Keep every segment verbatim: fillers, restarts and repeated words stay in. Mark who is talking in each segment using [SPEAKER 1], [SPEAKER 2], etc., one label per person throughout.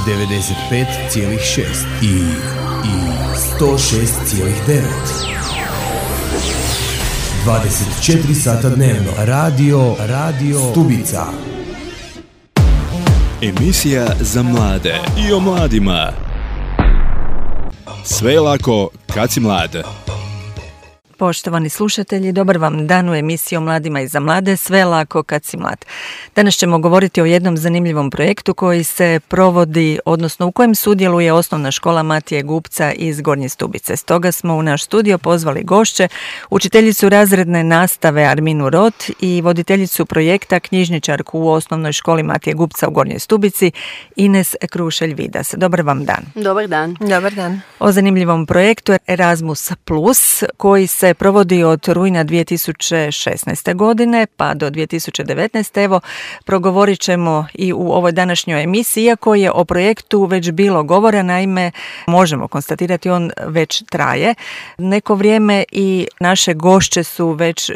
[SPEAKER 1] devedeset pet zarez šest i, i sto šest zarez devet. dvadeset četiri sata dnevno. Radio, radio Stubica.
[SPEAKER 2] Emisija za mlade i o mladima. Sve je lako kad si mlad.
[SPEAKER 3] Poštovani slušatelji, dobar vam dan u emisiji o mladima i za mlade, sve je lako kad si mlad. Danas ćemo govoriti o jednom zanimljivom projektu koji se provodi, odnosno u kojem sudjeluje osnovna škola Matije Gubca iz Gornje Stubice. Stoga smo u naš studio pozvali gošće, učiteljicu razredne nastave Arminu Rot i voditeljicu projekta knjižničarku u osnovnoj školi Matije Gubca u Gornjoj Stubici Ines Krušelj-Vidas. Dobar vam dan.
[SPEAKER 4] Dobar dan.
[SPEAKER 5] Dobar dan.
[SPEAKER 3] O zanimljivom projektu Erasmus plus koji se provodi od rujna dvije tisuće šesnaeste. godine pa do dvije tisuće devetnaeste. Evo, progovorit ćemo i u ovoj današnjoj emisiji, iako je o projektu već bilo govora, naime, možemo konstatirati on već traje neko vrijeme i naše gošće su već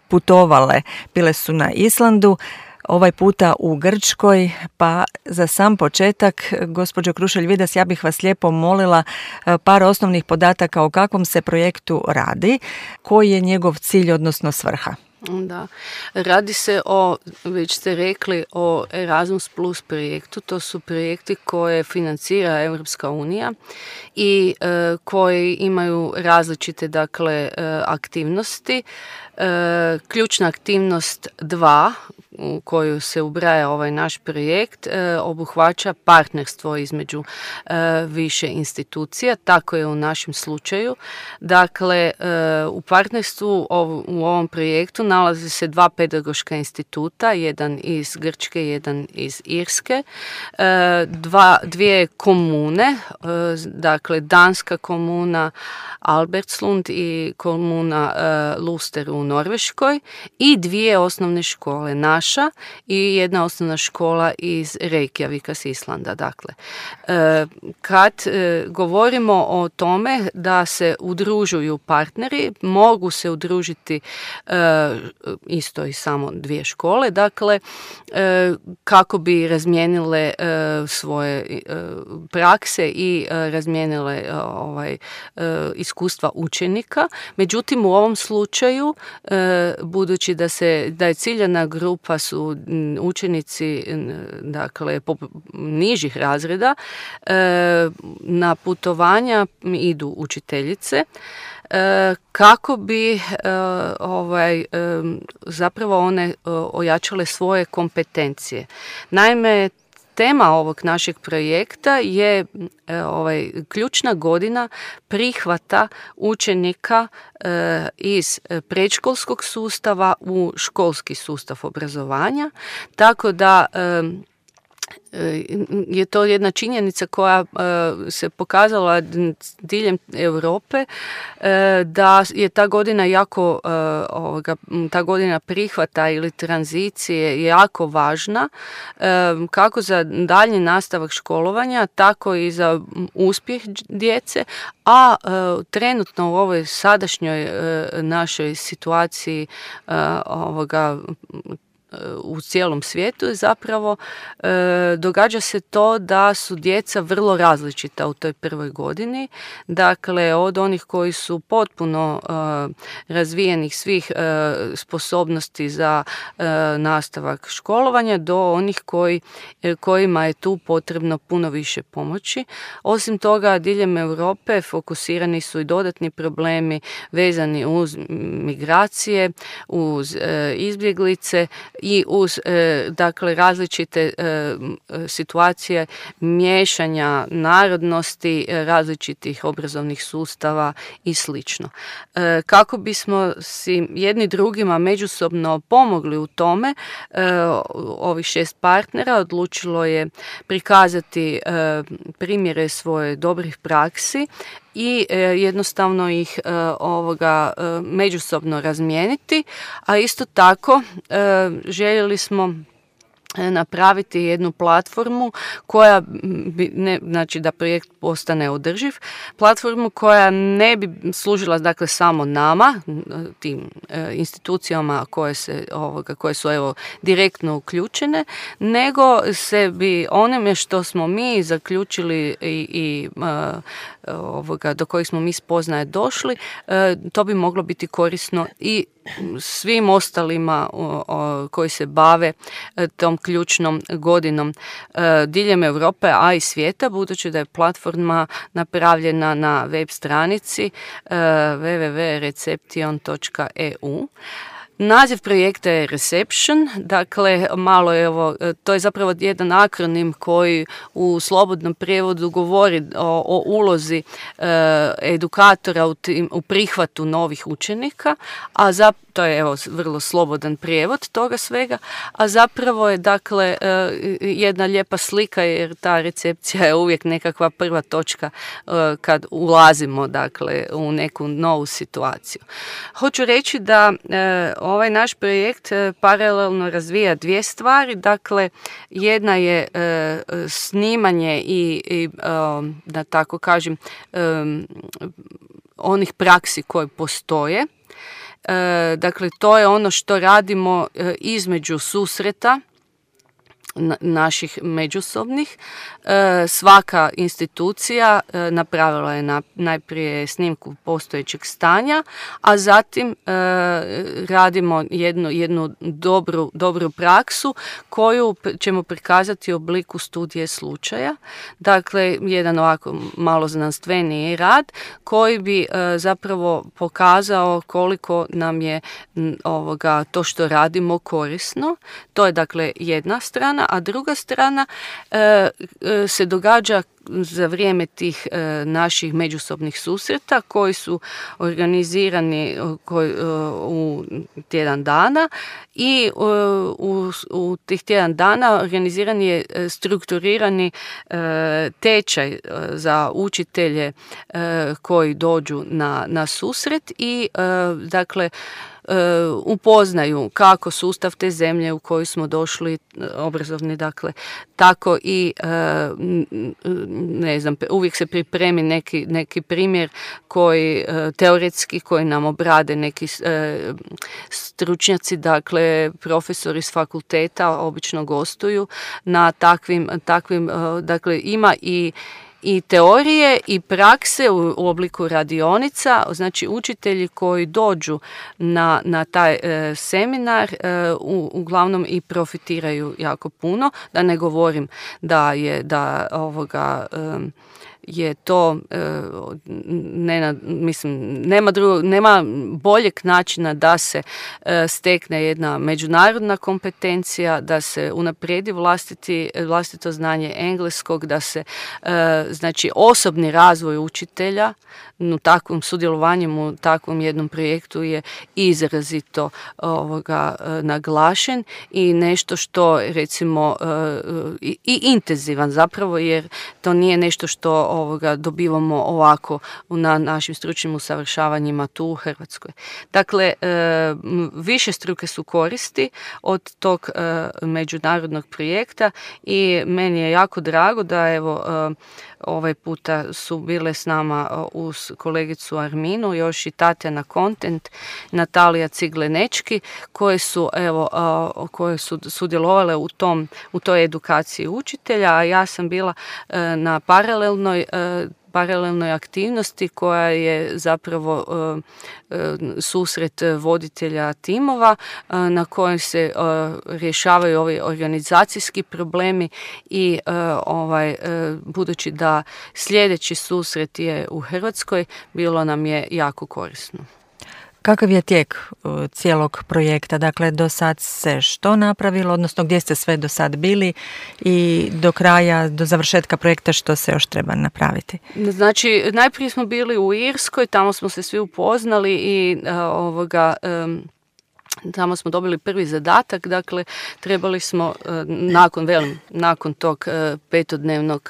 [SPEAKER 3] putovale, bile su na Islandu, ovaj puta u Grčkoj, pa za sam početak, gospođo Krušelj-Vidas, ja bih vas lijepo molila par osnovnih podataka o kakvom se projektu radi, koji je njegov cilj, odnosno svrha.
[SPEAKER 4] Da, radi se o, već ste rekli, o Erasmus plus projektu. To su projekti koje financira Europska unija i e, koji imaju različite, dakle, e, aktivnosti. E, ključna aktivnost dva u koju se ubraja ovaj naš projekt e, obuhvaća partnerstvo između e, više institucija, tako je u našem slučaju. Dakle, e, u partnerstvu ov, u ovom projektu nalaze se dva pedagoška instituta, jedan iz Grčke, jedan iz Irske, e, dva, dvije komune, e, dakle danska komuna Albertslund i komuna e, Luster u Norveškoj i dvije osnovne škole, naša i jedna osnovna škola iz Reykjavika s Islanda. Dakle, e, kad e, govorimo o tome da se udružuju partneri, mogu se udružiti e, isto i samo dvije škole, dakle, e, kako bi razmijenile e, svoje e, prakse i e, razmijenile e, ovaj, e, iskustva učenika. Međutim, u ovom slučaju, e, budući da se da je ciljana grupa su učenici, dakle, nižih razreda, e, na putovanja idu učiteljice e, kako bi e, ovaj, e, zapravo one e, ojačale svoje kompetencije. Naime, tema ovog našeg projekta je e, ovaj, ključna godina prihvata učenika e, iz predškolskog sustava u školski sustav obrazovanja, tako da e, je to jedna činjenica koja uh, se pokazala diljem Europe, uh, da je ta godina jako uh, ovoga, ta godina prihvata ili tranzicije jako važna, uh, kako za daljnji nastavak školovanja, tako i za uspjeh djece, a uh, trenutno u ovoj sadašnjoj uh, našoj situaciji uh, ovoga u cijelom svijetu je zapravo e, događa se to da su djeca vrlo različita u toj prvoj godini. Dakle, od onih koji su potpuno e, razvijenih svih e, sposobnosti za e, nastavak školovanja do onih koji, e, kojima je tu potrebno puno više pomoći. Osim toga, diljem Europe fokusirani su i dodatni problemi vezani uz migracije, uz e, izbjeglice i uz e, dakle različite e, situacije miješanja narodnosti, e, različitih obrazovnih sustava i slično. E, kako bismo si jedni drugima međusobno pomogli u tome, e, ovih šest partnera odlučilo je prikazati e, primjere svoje dobrih praksi i e, jednostavno ih e, ovoga e, međusobno razmijeniti, a isto tako e, željeli smo napraviti jednu platformu koja bi, ne, znači da projekt postane održiv, platformu koja ne bi služila dakle samo nama, tim e, institucijama koje se ovoga, koje su evo direktno uključene, nego se bi onime što smo mi zaključili i, i e, ovoga, do kojih smo mi spoznaje došli, e, to bi moglo biti korisno i svim ostalima o, o, koji se bave e, tom ključnom godinom e, diljem Europe, a i svijeta, budući da je platforma napravljena na web stranici e, w w w točka reception točka e u. Naziv projekta je Reception, dakle malo je ovo, to je zapravo jedan akronim koji u slobodnom prijevodu govori o, o ulozi e, edukatora u, tim, u prihvatu novih učenika, a za, to je evo vrlo slobodan prijevod toga svega, a zapravo je dakle e, jedna lijepa slika jer ta recepcija je uvijek nekakva prva točka e, kad ulazimo dakle u neku novu situaciju. Hoću reći da e, ovaj naš projekt paralelno razvija dvije stvari, dakle jedna je e, snimanje i, i e, da tako kažem e, onih praksi koje postoje. E, dakle to je ono što radimo e, između susreta naših međusobnih. E, svaka institucija e, napravila je na, najprije snimku postojećeg stanja, a zatim e, radimo jednu, jednu dobru, dobru praksu koju ćemo prikazati u obliku studije slučaja. Dakle, jedan ovako malo znanstveniji rad koji bi e, zapravo pokazao koliko nam je m, ovoga, to što radimo korisno. To je dakle jedna strana, a druga strana e, se događa za vrijeme tih e, naših međusobnih susreta koji su organizirani koji, e, u tjedan dana i e, u, u tih tjedan dana organiziran je strukturirani e, tečaj e, za učitelje e, koji dođu na, na susret i e, dakle upoznaju kako sustav te zemlje u koju smo došli, obrazovni, dakle, tako i ne znam, uvijek se pripremi neki, neki primjer koji teoretski, koji nam obrade neki stručnjaci, dakle, profesori s fakulteta obično gostuju na takvim, takvim dakle, ima i i teorije i prakse u, u obliku radionica, znači učitelji koji dođu na, na taj e, seminar e, u, uglavnom i profitiraju jako puno, da ne govorim da je da ovoga e, je to ne, mislim, nema, drugog, nema boljeg načina da se stekne jedna međunarodna kompetencija, da se unaprijedi vlastiti, vlastito znanje engleskog, da se znači osobni razvoj učitelja u takvom sudjelovanjem u takvom jednom projektu je izrazito ovoga naglašen i nešto što recimo i, i intenzivan zapravo, jer to nije nešto što ovoga dobivamo ovako na našim stručnim usavršavanjima tu u Hrvatskoj. Dakle, više struke su koristi od tog međunarodnog projekta i meni je jako drago da evo ovaj puta su bile s nama uz kolegicu Arminu još i Tatjana Kontent, Natalija Ciglenečki, koje su evo koje su sudjelovale u tom u toj edukaciji učitelja, a ja sam bila na paralelnoj paralelnoj aktivnosti koja je zapravo e, e, susret voditelja timova e, na kojem se e, rješavaju ovi organizacijski problemi i e, ovaj e, budući da sljedeći susret je u Hrvatskoj, bilo nam je jako korisno.
[SPEAKER 3] Kakav je tijek uh, cijelog projekta? Dakle, do sad se što napravilo, odnosno gdje ste sve do sad bili i do kraja, do završetka projekta što se još treba napraviti?
[SPEAKER 4] Znači, najprije smo bili u Irskoj, tamo smo se svi upoznali i uh, ovoga... Um, Tamo smo dobili prvi zadatak, dakle trebali smo nakon, velim, nakon tog petodnevnog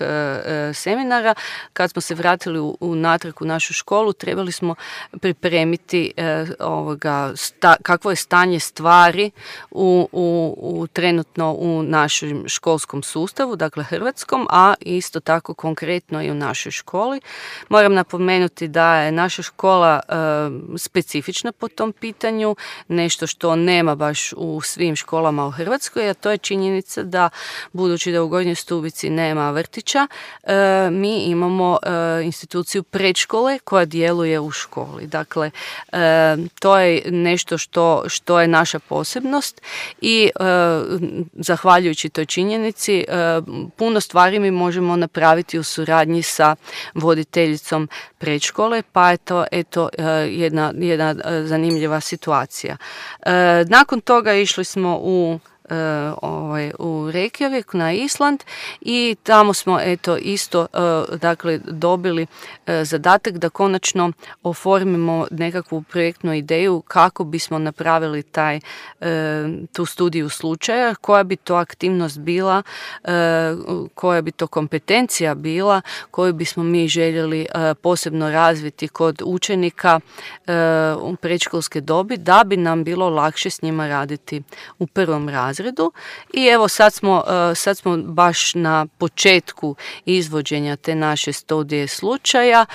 [SPEAKER 4] seminara, kad smo se vratili u, u natrag u našu školu, trebali smo pripremiti ovoga, sta, kakvo je stanje stvari u, u, u trenutno u našem školskom sustavu, dakle hrvatskom, a isto tako konkretno i u našoj školi. Moram napomenuti da je naša škola e, specifična po tom pitanju, nešto što nema baš u svim školama u Hrvatskoj, a to je činjenica da, budući da u Gornjoj Stubici nema vrtića, e, mi imamo e, instituciju predškole koja djeluje u školi. Dakle, e, to je nešto što, što je naša posebnost i e, zahvaljujući toj činjenici e, puno stvari mi možemo napraviti u suradnji sa voditeljicom predškole, pa je to eto, e, jedna, jedna zanimljiva situacija. E, Nakon toga išli smo u Uh, ovaj, u Reykjavik na Island i tamo smo eto isto uh, dakle dobili uh, zadatak da konačno oformimo nekakvu projektnu ideju kako bismo napravili taj, uh, tu studiju slučaja, koja bi to aktivnost bila, uh, koja bi to kompetencija bila koju bismo mi željeli uh, posebno razviti kod učenika uh, u predškolske dobi, da bi nam bilo lakše s njima raditi u prvom razredu. I evo sad smo, sad smo baš na početku izvođenja te naše studije slučaja.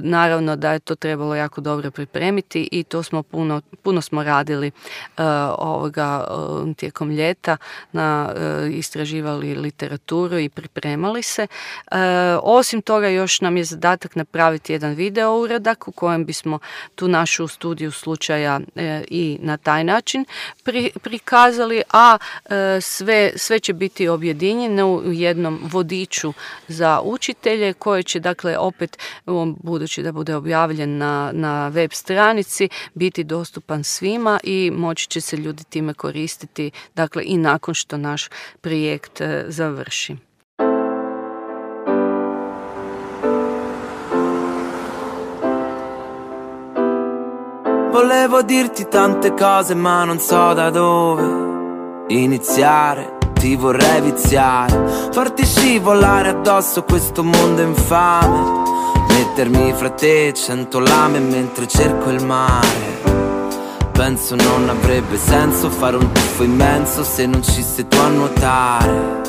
[SPEAKER 4] Naravno da je to trebalo jako dobro pripremiti i to smo puno, puno smo radili ovoga tijekom ljeta, na, istraživali literaturu i pripremali se. Osim toga još nam je zadatak napraviti jedan video uradak u kojem bismo tu našu studiju slučaja i na taj način pri, prikazali, a sve, sve će biti objedinjeno u jednom vodiču za učitelje koje će dakle opet, budući da bude objavljen na, na web stranici, biti dostupan svima i moći će se ljudi time koristiti dakle i nakon što naš projekt završi.
[SPEAKER 5] Volevo dirti tante cose ma non so da dove iniziare, ti vorrei viziare, farti scivolare addosso questo mondo infame, mettermi fra te cento lame mentre cerco il mare. Penso non avrebbe senso fare un tuffo immenso se non ci sei tu a nuotare.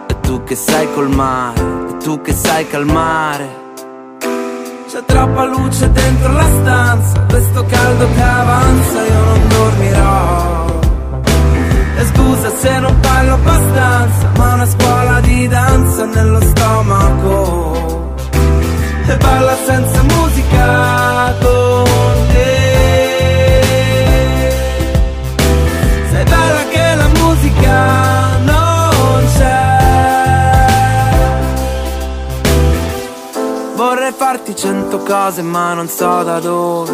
[SPEAKER 5] E tu che sai col mare, e tu che sai calmare. C'è troppa luce dentro la stanza, questo caldo che avanza, io non dormirò. E scusa se non parlo abbastanza, ma una scuola di danza nello stomaco. E balla senza musica con te. Sei bella che la musica non c'è. Vorrei farti cento cose ma non so da dove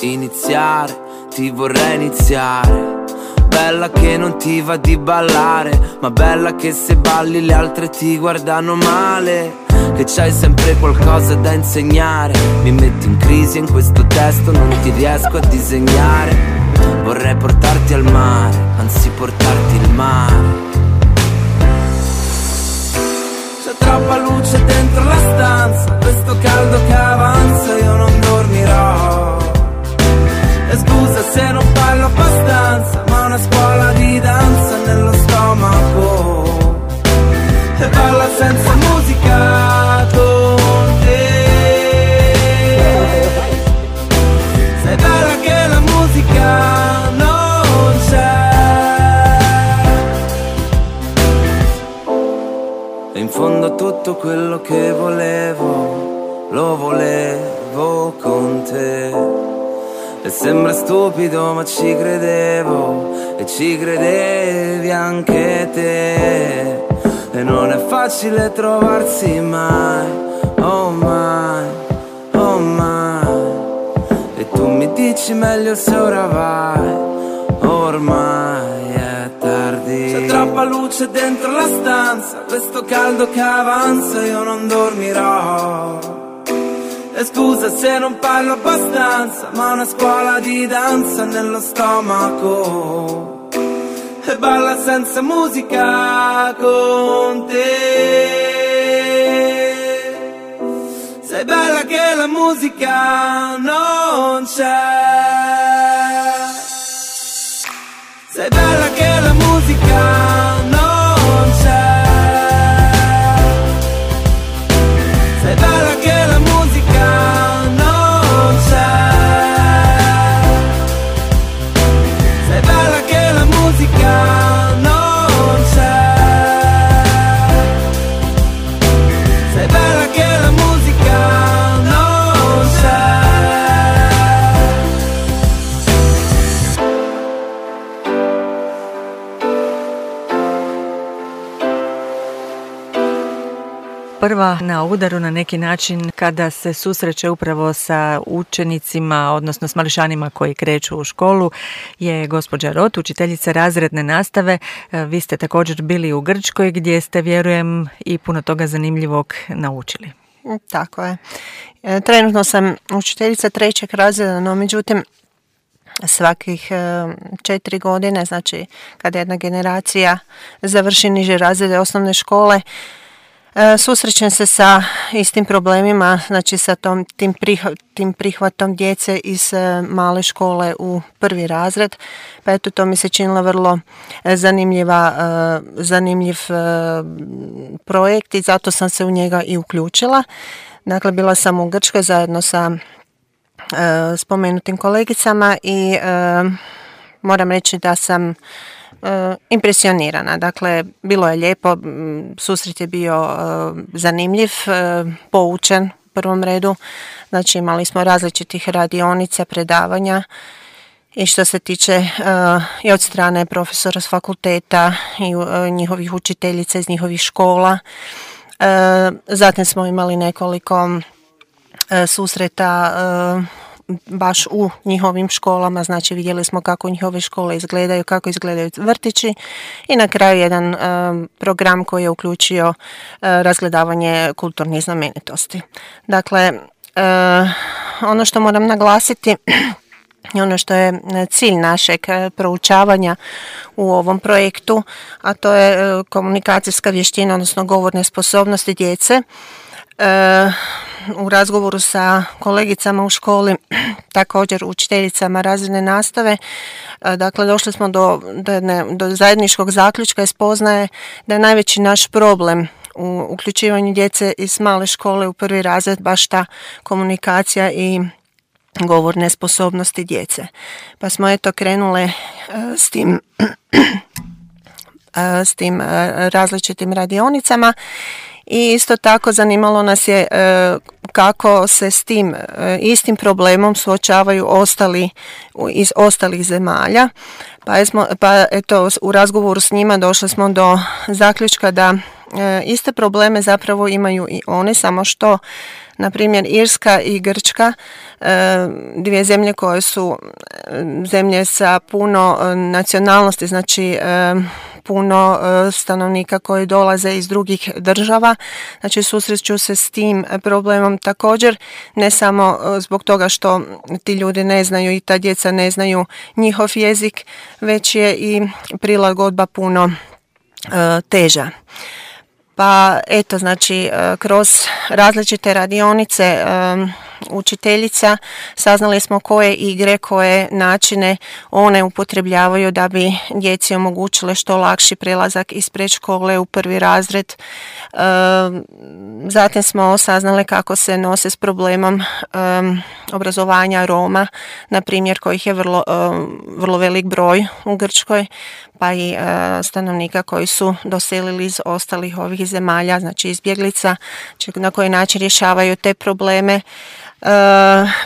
[SPEAKER 5] iniziare, ti vorrei iniziare. Bella che non ti va di ballare, ma bella che se balli le altre ti guardano male. Che c'hai sempre qualcosa da insegnare. Mi metto in crisi in questo testo, non ti riesco a disegnare. Vorrei portarti al mare, anzi portarti il mare. C'è troppa luce dentro la stanza, questo caldo che avanza, io non dormirò. E scusa se non parlo abbastanza, ma una scuola di danza nello stomaco. E balla senza musica con te. Sei bella che la musica non c'è. E in fondo a tutto quello che volevo, lo volevo con te. E sembra stupido ma ci credevo, e ci credevi anche te. E non è facile trovarsi mai, oh mai, oh mai. E tu mi dici meglio se ora vai, ormai è tardi. C'è troppa luce dentro la stanza, questo caldo che avanza, io non dormirò. E scusa se non parlo abbastanza, ma una scuola di danza nello stomaco. E balla senza musica con te. Sei bella che la musica non c'è. Sei bella che la musica non c'è. Sei bella che la musica non c'è. Sei bella che la musica non c'è. Sei bella che la musica non c'è.
[SPEAKER 3] Prva na udaru na neki način kada se susreće upravo sa učenicima, odnosno s mališanima koji kreću u školu, je gospođa Rot, učiteljica razredne nastave. Vi ste također bili u Grčkoj gdje ste, vjerujem, i puno toga zanimljivog naučili.
[SPEAKER 6] Tako je. Trenutno sam učiteljica trećeg razreda, no međutim svakih četiri godine, znači kada jedna generacija završi niže razrede osnovne škole, susrećem se sa istim problemima, znači sa tom, tim, prihv, tim prihvatom djece iz male škole u prvi razred. Pa eto, to mi se činilo vrlo zanimljiva, zanimljiv projekt i zato sam se u njega i uključila. Dakle, bila sam u Grčkoj zajedno sa spomenutim kolegicama i moram reći da sam impresionirana. Dakle, bilo je lijepo, susret je bio zanimljiv, poučen u prvom redu. Znači, imali smo različitih radionica, predavanja i što se tiče uh, i od strane profesora s fakulteta i uh, njihovih učiteljica iz njihovih škola. Uh, zatim smo imali nekoliko uh, susreta uh, baš u njihovim školama, znači vidjeli smo kako njihove škole izgledaju, kako izgledaju vrtići i na kraju jedan um, program koji je uključio uh, razgledavanje kulturnih znamenitosti. Dakle, uh, ono što moram naglasiti i ono što je cilj našeg proučavanja u ovom projektu, a to je uh, komunikacijska vještina, odnosno govorne sposobnosti djece. Uh, u razgovoru sa kolegicama u školi, također učiteljicama razredne nastave, dakle došli smo do, do, ne, do zajedničkog zaključka i spoznaje da je najveći naš problem u uključivanju djece iz male škole u prvi razred baš ta komunikacija i govorne sposobnosti djece. Pa smo eto krenule uh, s tim uh, s tim uh, različitim radionicama. I isto tako zanimalo nas je e, kako se s tim e, istim problemom suočavaju ostali iz ostalih zemalja. Pa, jesmo, pa eto, u razgovoru s njima došli smo do zaključka da e, iste probleme zapravo imaju i oni, samo što na primjer Irska i Grčka, e, dvije zemlje koje su zemlje sa puno nacionalnosti, znači e, puno stanovnika koji dolaze iz drugih država, znači susreću se s tim problemom također, ne samo zbog toga što ti ljudi ne znaju i ta djeca ne znaju njihov jezik, već je i prilagodba puno uh, teža. Pa eto, znači kroz različite radionice um, učiteljica saznali smo koje igre, koje načine one upotrebljavaju da bi djeci omogućile što lakši prelazak iz predškole u prvi razred. Um, zatim smo saznali kako se nose s problemom um, obrazovanja Roma, na primjer kojih je vrlo, um, vrlo velik broj u Grčkoj, pa i uh, stanovnika koji su doselili iz ostalih ovih zemalja, znači izbjeglica, na koji način rješavaju te probleme. Uh,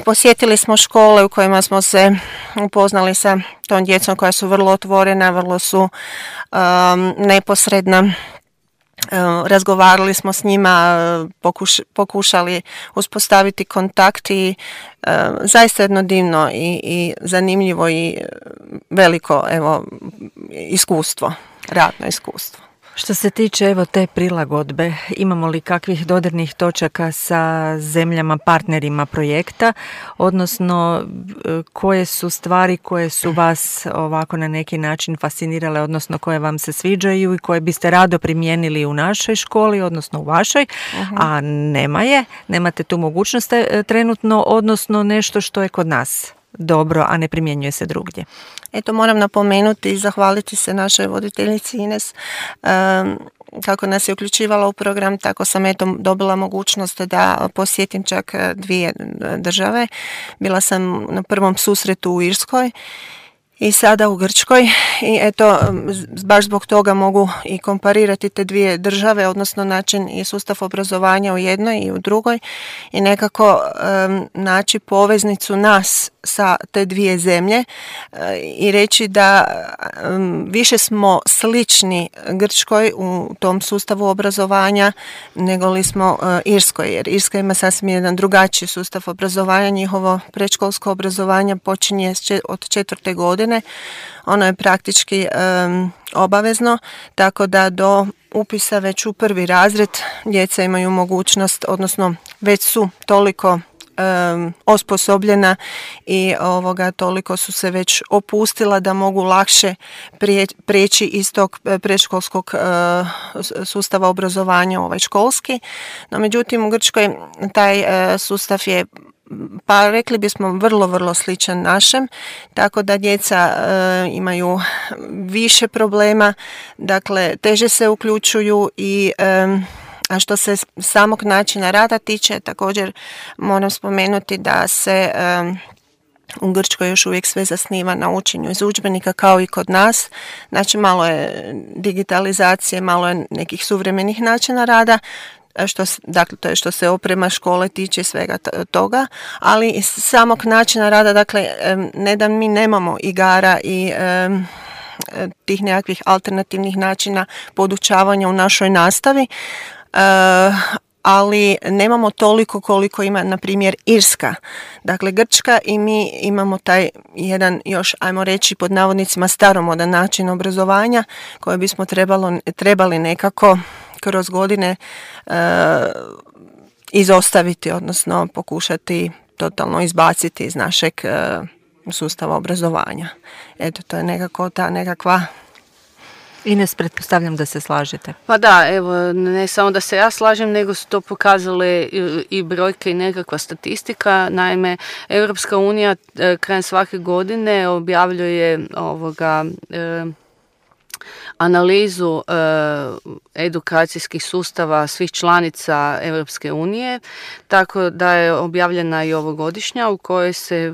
[SPEAKER 6] posjetili smo škole u kojima smo se upoznali sa tom djecom koja su vrlo otvorena, vrlo su um, neposredna. Razgovarali smo s njima, pokuš, pokušali uspostaviti kontakt i uh, zaista jedno divno i, i zanimljivo i veliko evo, iskustvo, radno iskustvo.
[SPEAKER 3] Što se tiče evo te prilagodbe, imamo li kakvih dodirnih točaka sa zemljama partnerima projekta, odnosno koje su stvari koje su vas ovako na neki način fascinirale, odnosno koje vam se sviđaju i koje biste rado primijenili u našoj školi, odnosno u vašoj, uh-huh. a nema je, nemate tu mogućnost trenutno, odnosno nešto što je kod nas dobro, a ne primjenjuje se drugdje.
[SPEAKER 6] Eto, moram napomenuti i zahvaliti se našoj voditeljici Ines um, kako nas je uključivala u program, tako sam eto dobila mogućnost da posjetim čak dvije države. Bila sam na prvom susretu u Irskoj i sada u Grčkoj i eto, baš zbog toga mogu i komparirati te dvije države, odnosno način i sustav obrazovanja u jednoj i u drugoj i nekako um, naći poveznicu nas sa te dvije zemlje uh, i reći da um, više smo slični Grčkoj u tom sustavu obrazovanja nego li smo uh, Irskoj, jer Irska ima sasvim jedan drugačiji sustav obrazovanja, njihovo predškolsko obrazovanje počinje od četvrte godine. Ono je praktički um, obavezno, tako da do upisa već u prvi razred djeca imaju mogućnost, odnosno već su toliko um, osposobljena i ovoga, toliko su se već opustila da mogu lakše prije, prijeći iz tog predškolskog uh, sustava obrazovanja ovaj školski. No međutim u Grčkoj taj uh, sustav je, pa rekli bismo, vrlo, vrlo sličan našem, tako da djeca e, imaju više problema, dakle teže se uključuju i e, a što se samog načina rada tiče, također moram spomenuti da se e, u Grčkoj još uvijek sve zasniva na učenju iz udžbenika kao i kod nas, znači malo je digitalizacije, malo je nekih suvremenih načina rada, što, dakle, to je što se oprema škole tiče svega toga, ali iz samog načina rada, dakle, ne da mi nemamo igara i um, tih nekakvih alternativnih načina podučavanja u našoj nastavi, uh, ali nemamo toliko koliko ima, na primjer, Irska. Dakle, Grčka i mi imamo taj jedan još, ajmo reći, pod navodnicima staromodan način obrazovanja koji bismo trebalo, trebali nekako kroz godine e, izostaviti, odnosno pokušati totalno izbaciti iz našeg e, sustava obrazovanja. Eto, to je nekako ta nekakva...
[SPEAKER 3] Ines, pretpostavljam da se slažete.
[SPEAKER 4] Pa da, evo, ne samo da se ja slažem, nego su to pokazale i, i brojke i nekakva statistika. Naime, Europska unija e, krajem svake godine objavljuje ovoga... E, analizu e, edukacijskih sustava svih članica Europske unije, tako da je objavljena i ovogodišnja u kojoj se e,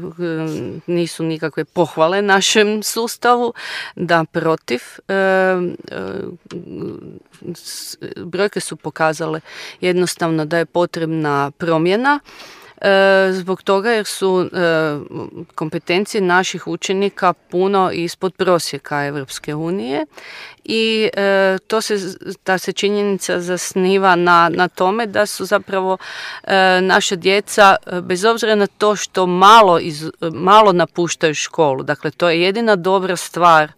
[SPEAKER 4] nisu nikakve pohvale našem sustavu, da protiv. E, e, brojke su pokazale jednostavno da je potrebna promjena, zbog toga jer su e, kompetencije naših učenika puno ispod prosjeka Europske unije i e, to se, ta se činjenica zasniva na, na tome da su zapravo e, naša djeca, bez obzira na to što malo, iz, malo napuštaju školu, dakle to je jedina dobra stvar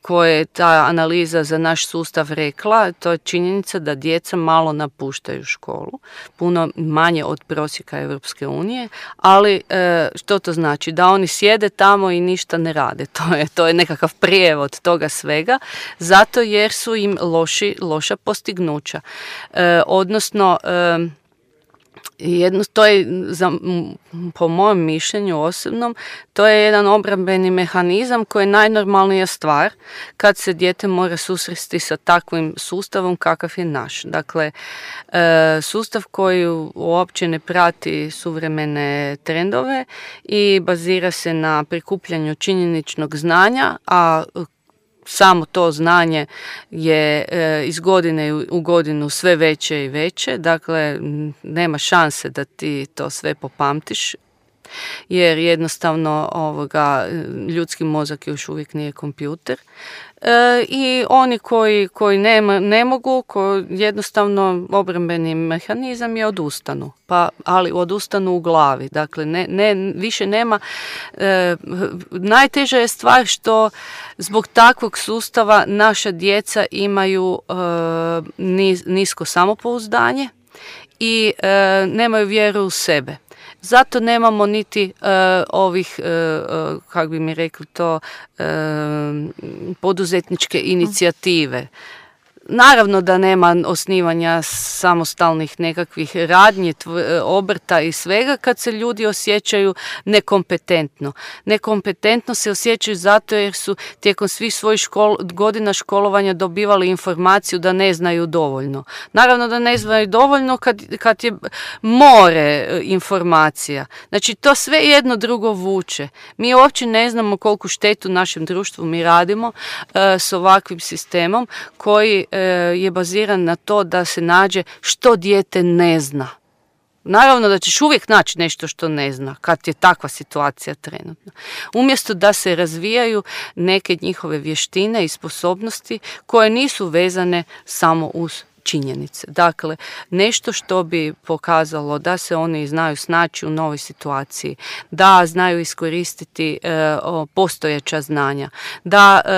[SPEAKER 4] koje je ta analiza za naš sustav rekla, to je činjenica da djeca malo napuštaju školu, puno manje od prosjeka Europske unije, ali e, što to znači? Da oni sjede tamo i ništa ne rade. To je, to je nekakav prijevod toga svega, zato jer su im loši, loša postignuća. E, odnosno, e, Jedno, to je, za, po mojem mišljenju osobnom, to je jedan obrambeni mehanizam koji je najnormalnija stvar kad se dijete mora susresti sa takvim sustavom kakav je naš. Dakle, e, sustav koji uopće ne prati suvremene trendove i bazira se na prikupljanju činjeničnog znanja, a samo to znanje je e, iz godine u godinu sve veće i veće, dakle nema šanse da ti to sve popamtiš, jer jednostavno ovoga, ljudski mozak još uvijek nije kompjuter. e, i oni koji, koji ne, ne mogu, koji jednostavno obrambeni mehanizam je odustanu. Pa, ali odustanu u glavi. Dakle, ne, ne, više nema. E, najteža je stvar što zbog takvog sustava naša djeca imaju e, niz, nisko samopouzdanje i e, nemaju vjeru u sebe. Zato nemamo niti uh, ovih, uh, uh, kako bi mi rekli to, uh, poduzetničke inicijative. Naravno da nema osnivanja samostalnih nekakvih radnji, obrta i svega kad se ljudi osjećaju nekompetentno. Nekompetentno se osjećaju zato jer su tijekom svih svojih škol, godina školovanja dobivali informaciju da ne znaju dovoljno. Naravno da ne znaju dovoljno kad, kad je more informacija. Znači to sve jedno drugo vuče. Mi uopće ne znamo koliku štetu našem društvu mi radimo uh, s ovakvim sistemom koji je baziran na to da se nađe što dijete ne zna. Naravno da ćeš uvijek naći nešto što ne zna kad je takva situacija trenutno. Umjesto da se razvijaju neke njihove vještine i sposobnosti koje nisu vezane samo uz činjenice. Dakle, nešto što bi pokazalo da se oni znaju snaći u novoj situaciji, da znaju iskoristiti e, postojeća znanja, da e,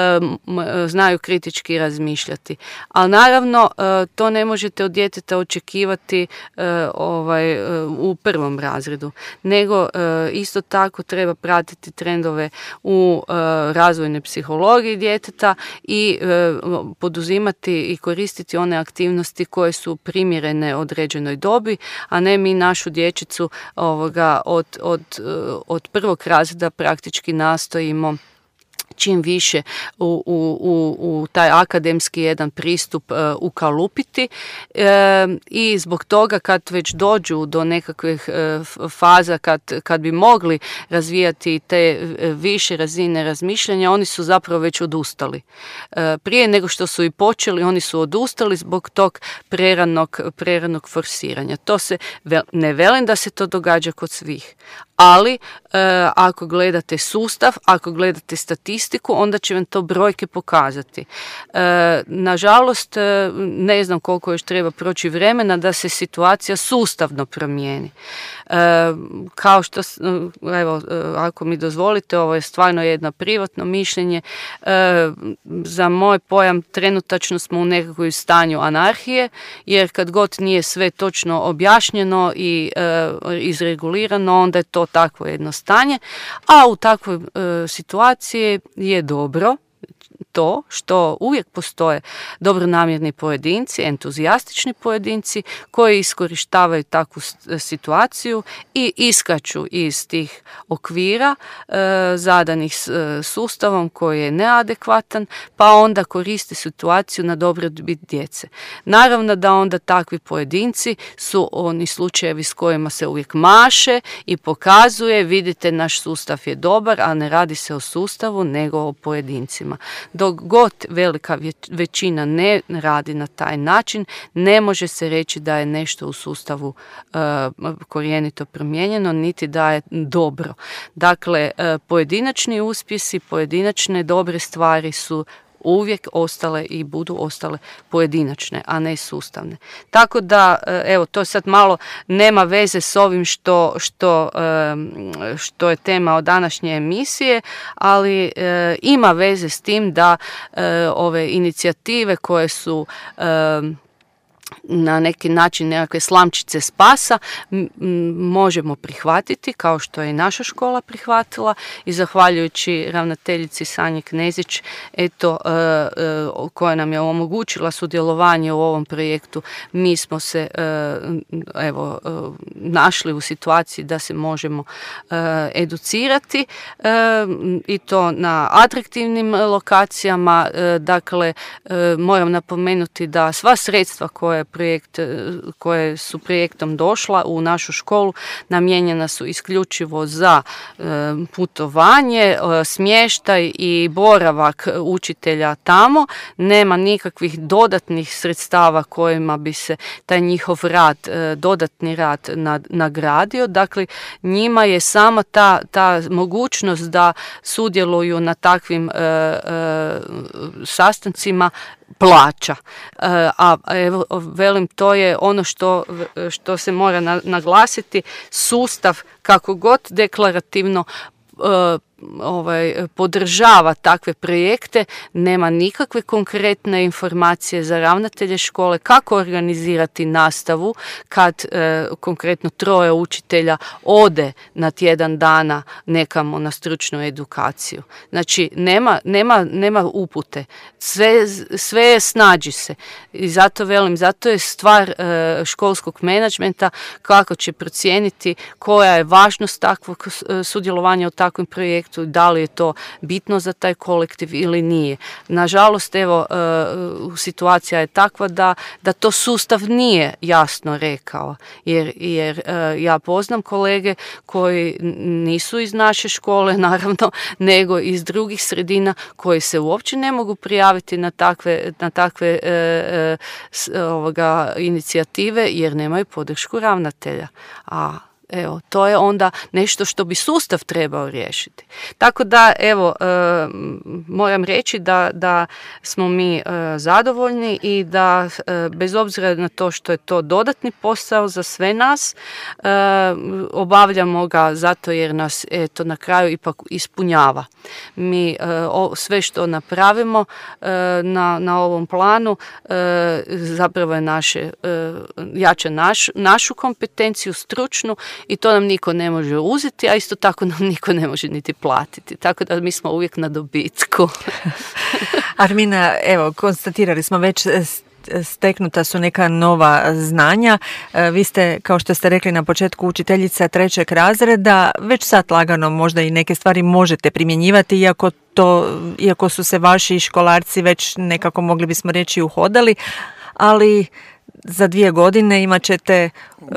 [SPEAKER 4] m, znaju kritički razmišljati. Ali naravno, e, to ne možete od djeteta očekivati e, ovaj, e, u prvom razredu, nego e, isto tako treba pratiti trendove u e, razvojnoj psihologiji djeteta i e, poduzimati i koristiti one aktivnosti koje su primjerene određenoj dobi, a ne mi našu dječicu ovoga, od, od, od prvog razreda praktički nastojimo čim više u, u, u, u taj akademski jedan pristup uh, ukalupiti e, i zbog toga kad već dođu do nekakvih uh, faza kad, kad bi mogli razvijati te više razine razmišljanja, oni su zapravo već odustali. E, prije nego što su i počeli, oni su odustali zbog tog preranog, preranog forsiranja. To se, ne velim da se to događa kod svih, ali e, ako gledate sustav, ako gledate statistiku, onda će vam to brojke pokazati. E, nažalost, e, ne znam koliko još treba proći vremena da se situacija sustavno promijeni. E, kao što, evo, ako mi dozvolite, ovo je stvarno jedno privatno mišljenje. E, za moj pojam trenutačno smo u nekakvom stanju anarhije, jer kad god nije sve točno objašnjeno i e, izregulirano, onda je to takvo jedno stanje, a u takvoj e, situaciji je dobro to što uvijek postoje dobronamjerni pojedinci, entuzijastični pojedinci koji iskorištavaju takvu situaciju i iskaču iz tih okvira e, zadanih e, sustavom koji je neadekvatan, pa onda koriste situaciju na dobrobit djece. Naravno da onda takvi pojedinci su oni slučajevi s kojima se uvijek maše i pokazuje, vidite, naš sustav je dobar, a ne radi se o sustavu nego o pojedincima. Dok god velika većina ne radi na taj način, ne može se reći da je nešto u sustavu uh, korijenito promijenjeno, niti da je dobro. Dakle, uh, pojedinačni uspjesi, pojedinačne dobre stvari su uvijek ostale i budu ostale pojedinačne, a ne sustavne. Tako da, evo, to sad malo nema veze s ovim što, što, što je tema od današnje emisije, ali ima veze s tim da ove inicijative koje su na neki način nekakve slamčice spasa m- možemo prihvatiti, kao što je i naša škola prihvatila, i zahvaljujući ravnateljici Sanji Knezić, eto, e, e, koja nam je omogućila sudjelovanje u ovom projektu, mi smo se e, evo e, našli u situaciji da se možemo e, educirati e, i to na atraktivnim lokacijama. E, dakle, e, moram napomenuti da sva sredstva koje projekt, koje su projektom došla u našu školu, namijenjena su isključivo za putovanje, smještaj i boravak učitelja tamo. Nema nikakvih dodatnih sredstava kojima bi se taj njihov rad, dodatni rad nagradio. Dakle, njima je sama ta, ta mogućnost da sudjeluju na takvim e, e, sastancima plaća. E, a evo, velim, to je ono što, što se mora na, naglasiti. Sustav, kako god deklarativno e, ovaj, podržava takve projekte, nema nikakve konkretne informacije za ravnatelje škole kako organizirati nastavu kad e, konkretno troje učitelja ode na tjedan dana nekamo na stručnu edukaciju. Znači, nema, nema, nema upute. Sve, sve je snađi se. I zato velim, zato je stvar e, školskog menadžmenta kako će procijeniti koja je važnost takvog sudjelovanja u takvom projektu, da li je to bitno za taj kolektiv ili nije. Nažalost, evo, situacija je takva da, da to sustav nije jasno rekao, jer, jer ja poznam kolege koji nisu iz naše škole, naravno, nego iz drugih sredina koji se uopće ne mogu prijaviti na takve, na takve e, e, ovoga, inicijative jer nemaju podršku ravnatelja. A evo, to je onda nešto što bi sustav trebao riješiti. Tako da, evo, e, moram reći da, da smo mi e, zadovoljni i da e, bez obzira na to što je to dodatni posao za sve nas, e, obavljamo ga zato jer nas eto na kraju ipak ispunjava. Mi e, o, sve što napravimo e, na, na ovom planu e, zapravo je naše, e, jača naš, našu kompetenciju stručnu i to nam niko ne može uzeti, a isto tako nam niko ne može niti platiti. Tako da mi smo uvijek na dobitku.
[SPEAKER 3] Armina, evo, konstatirali smo već steknuta su neka nova znanja. Vi ste, kao što ste rekli na početku, učiteljica trećeg razreda. Već sad lagano možda i neke stvari možete primjenjivati, iako, to, iako su se vaši školarci već nekako, mogli bismo reći, uhodali, ali za dvije godine imat ćete uh,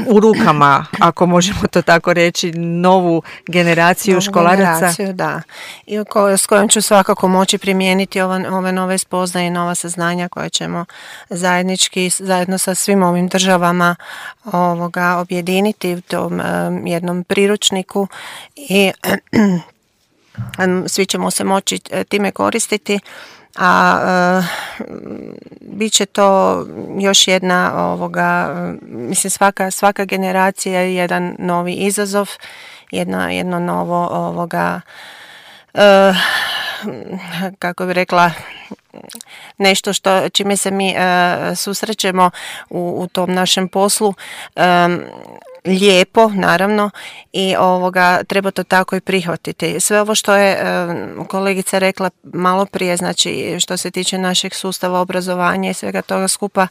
[SPEAKER 3] u rukama, ako možemo to tako reći, novu generaciju novu školaraca.
[SPEAKER 6] Generaciju, da. I ko, s kojom ću svakako moći primijeniti ove, ove nove spoznaje i nova saznanja koje ćemo zajednički, zajedno sa svim ovim državama ovoga, objediniti u tom um, jednom priručniku i svi ćemo se moći time koristiti. A e, bit će to još jedna ovoga, mislim svaka, svaka generacija je jedan novi izazov, jedno, jedno novo ovoga, e, kako bi rekla, nešto što čime se mi e, susrećemo u, u tom našem poslu, e, lijepo, naravno, i ovoga treba to tako i prihvatiti. Sve ovo što je e, kolegica rekla malo prije, znači što se tiče našeg sustava obrazovanja i svega toga skupa, e,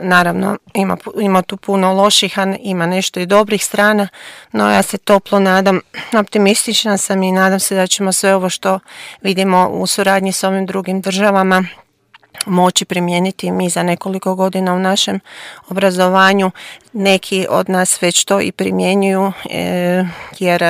[SPEAKER 6] naravno ima, ima tu puno loših, a ima nešto i dobrih strana, no ja se toplo nadam, optimistična sam i nadam se da ćemo sve ovo što vidimo u suradnji s ovim drugim državama moći primijeniti mi za nekoliko godina u našem obrazovanju. Neki od nas već to i primjenjuju, e, jer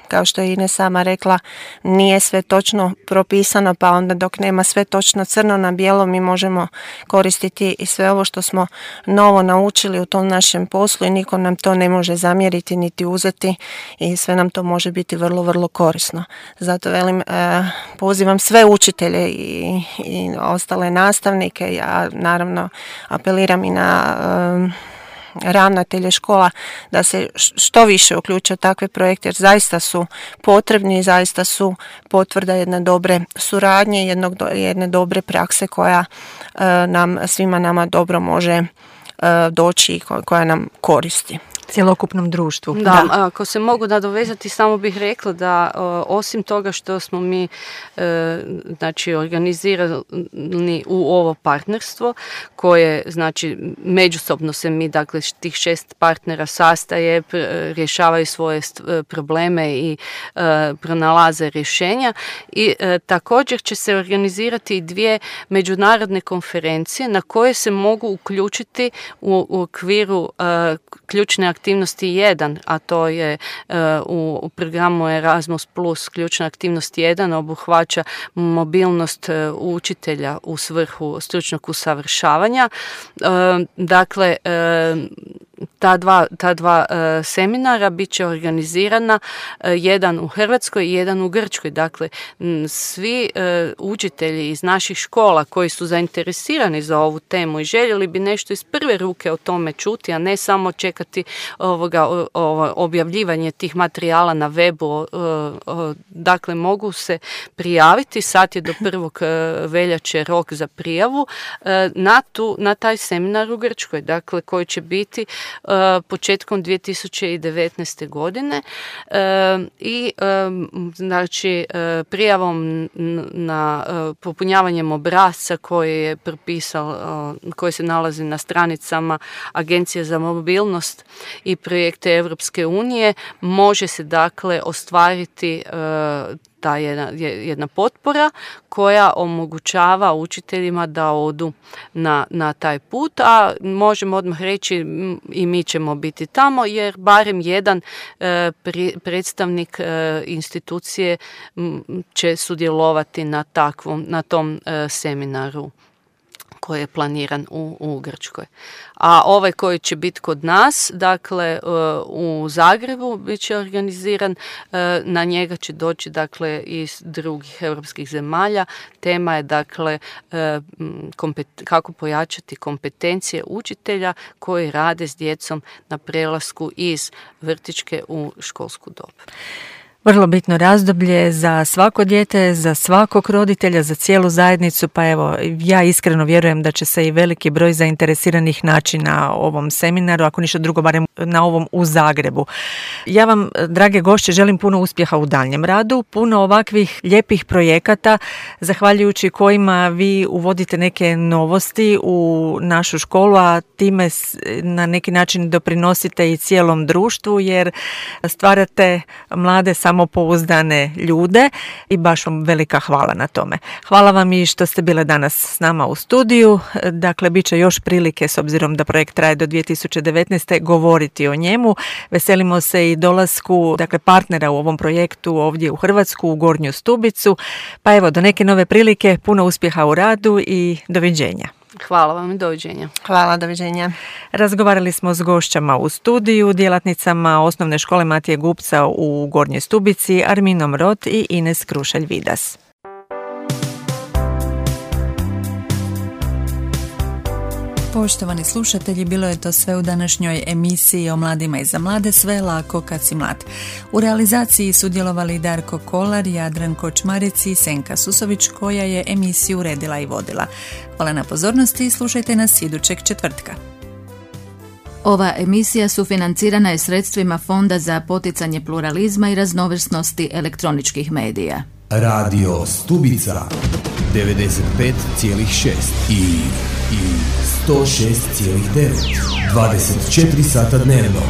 [SPEAKER 6] kao što je Ines sama rekla, nije sve točno propisano, pa onda dok nema sve točno crno na bijelo, mi možemo koristiti i sve ovo što smo novo naučili u tom našem poslu i niko nam to ne može zamjeriti niti uzeti i sve nam to može biti vrlo, vrlo korisno. Zato velim, pozivam sve učitelje i, i ostale nastavnike, ja naravno apeliram i na ravnatelje škola da se što više uključe u takve projekte jer zaista su potrebni i zaista su potvrda jedne dobre suradnje, jednog, jedne dobre prakse koja e, nam svima nama dobro može doći i koja nam koristi.
[SPEAKER 3] Cjelokupnom društvu.
[SPEAKER 4] Da, da, ako se mogu nadovezati, samo bih rekla da o, osim toga što smo mi e, znači organizirani u ovo partnerstvo koje znači međusobno se mi, dakle tih šest partnera sastaje, pr, rješavaju svoje st, probleme i e, pronalaze rješenja i e, također će se organizirati i dvije međunarodne konferencije na koje se mogu uključiti u, u okviru e, ključne aktivnosti aktivnosti jedan, a to je uh, u, u programu Erasmus plus ključna aktivnost jedan obuhvaća mobilnost uh, učitelja u svrhu stručnog usavršavanja. Uh, dakle, uh, ta dva, ta dva uh, seminara bit će organizirana uh, jedan u Hrvatskoj i jedan u Grčkoj. Dakle, m, svi uh, učitelji iz naših škola koji su zainteresirani za ovu temu i željeli bi nešto iz prve ruke o tome čuti, a ne samo čekati ovoga, o, o, objavljivanje tih materijala na webu. O, o, dakle, mogu se prijaviti, sad je do prvog veljače rok za prijavu uh, na, tu, na taj seminar u Grčkoj, dakle, koji će biti Uh, početkom dvije tisuće devetnaeste. godine uh, i um, znači uh, prijavom na uh, popunjavanjem obrasca koji je propisao, uh, koji se nalazi na stranicama Agencije za mobilnost i projekte Europske unije, može se dakle ostvariti uh, ta jedna, jedna potpora koja omogućava učiteljima da odu na, na taj put, a možemo odmah reći i mi ćemo biti tamo jer barem jedan e, pri, predstavnik e, institucije m, će sudjelovati na takvom, na tom e, seminaru koji je planiran u, u Grčkoj. A ovaj koji će biti kod nas, dakle u Zagrebu, bit će organiziran, na njega će doći dakle iz drugih europskih zemalja. Tema je dakle kompet, kako pojačati kompetencije učitelja koji rade s djecom na prelasku iz vrtićke u školsku dob.
[SPEAKER 3] Vrlo bitno razdoblje za svako dijete, za svakog roditelja, za cijelu zajednicu, pa evo, ja iskreno vjerujem da će se i veliki broj zainteresiranih naći na ovom seminaru, ako ništa drugo, barem na ovom u Zagrebu. Ja vam, drage gošće, želim puno uspjeha u daljnjem radu, puno ovakvih lijepih projekata, zahvaljujući kojima vi uvodite neke novosti u našu školu, a time na neki način doprinosite i cijelom društvu, jer stvarate mlade samopouzdane ljude i baš vam velika hvala na tome. Hvala vam i što ste bile danas s nama u studiju. Dakle, bit će još prilike, s obzirom da projekt traje do dvije tisuće devetnaeste. govoriti o njemu. Veselimo se i dolasku, dakle, partnera u ovom projektu ovdje u Hrvatsku, u Gornju Stubicu. Pa evo, do neke nove prilike, puno uspjeha u radu i doviđenja.
[SPEAKER 4] Hvala vam i doviđenja.
[SPEAKER 6] Hvala, doviđenja.
[SPEAKER 3] Razgovarali smo s gošćama u studiju, djelatnicama Osnovne škole Matije Gupca u Gornjoj Stubici, Arminom Rot i Ines Krušelj-Vidas. Poštovani slušatelji, bilo je to sve u današnjoj emisiji o mladima i za mlade, sve je lako kad si mlad. U realizaciji sudjelovali Darko Kolar, Jadran Kočmarec i Senka Susović, koja je emisiju uredila i vodila. Hvala na pozornosti i slušajte nas idućeg četvrtka.
[SPEAKER 7] Ova emisija sufinancirana je sredstvima Fonda za poticanje pluralizma i raznovrsnosti elektroničkih medija.
[SPEAKER 1] Radio Stubica devedeset pet zarez šest i, i sto šest zarez devet. dvadeset četiri sata dnevno.